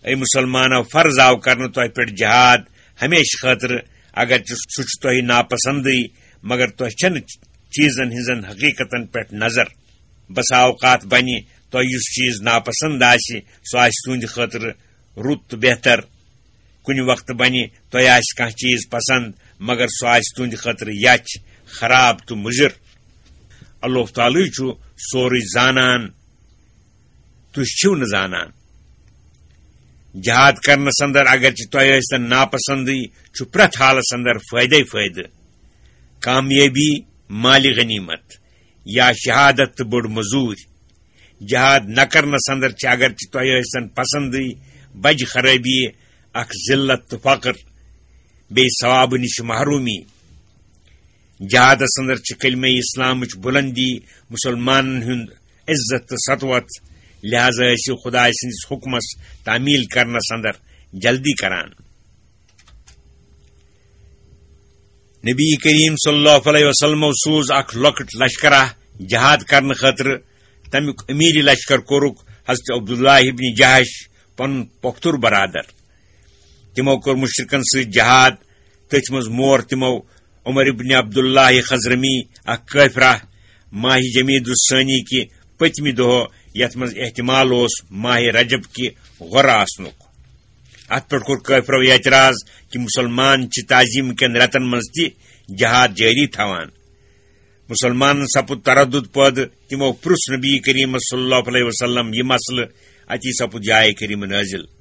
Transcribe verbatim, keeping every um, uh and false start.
A مسلمانو، فرض آو کرنہٕ تۄہہِ پٮ۪ٹھ جہاد ہمیشہٕ خٲطرٕ، اگرچہِ سُہ چھُ تۄہہِ ناپسندٕے، مگر تۄہہِ چھَنہٕ چیٖزن ہٕنٛزن حقیٖقتن پٮ۪ٹھ نظر۔ بسا اوقات بنہِ تۄہہِ یُس چیٖز ناپسند آسہِ، سُہ آسہِ تُہنٛدِ خٲطرٕ رُت تہٕ بہتر۔ کُنہِ وقتہٕ بنہِ تۄہہِ آسہِ کانٛہہ چیٖز پسند، مگر سُہ آسہِ تُہنٛدِ خٲطرٕ یَچھ، خراب تہٕ مُضِر۔ اللہ تعالیٰ چھُ سورُے زانان، تُہۍ چھِو نہٕ زانان۔ جہاد کرنس اندر اگرچہِ تۄہہِ ٲسۍتن ناپسندٕے، چھُ پرٛٮ۪تھ حالس اندر فٲیدے فٲیدٕ۔ کامیٲبی، مالِ غنیمت، یا شہادت تہٕ بٔڑ مزوٗرۍ۔ جہاد نہ کرنس اندر چھِ اگرچہِ تۄہہِ ٲسۍتن پسندٕے، بجہِ خرٲبی، اکھ ذلت تہٕ فقر، بیٚیہِ ثوابہٕ نِش محرومی۔ جہادس اندر چھِ کلمہ اسلامٕچ بلندی، مسلمانن ہُنٛد عزت تہٕ سطوت، لہذا ٲسِو خدایہِ سٕنٛدِس حُکمس تعمیل کرنس اندر جلدی کران۔ نبی کریم صلی اللہ علیہ وسلمو سوز اکھ لۄکٕٹ لشکرہ جہاد کرنہٕ خٲطرٕ۔ تمیُک امیر لشکر کوٚرُکھ حضرت عبداللہ ابن جحش، پنُن پۄختُر برادر۔ تِمو کوٚر مشرکن سۭتۍ جہاد۔ تٔتھۍ منٛز مور تِمو عمر ابن عبداللہ خضرمی اکھ کٲفرہ ماہ جمیدی الثانی کہِ پٔتمہِ دۄہ، یتھ منٛز احتمال اوس ماہ رجب کہِ غۄرٕ آسنُک۔ اتھ پٮ۪ٹھ کوٚر کٲفرو اعتراض کہِ مسلمان چھِ تعظیم کٮ۪ن رٮ۪تن منٛز تہِ جہاد جٲری تھاوان۔ مسلمانن سپُد تردد پٲدٕ۔ تِمو پرُژھ نبی کریم صلی اللہ علیہ وسلم یہِ مسلہٕ۔ اتی سپُد یہِ آیہِ کریم نٲزِل۔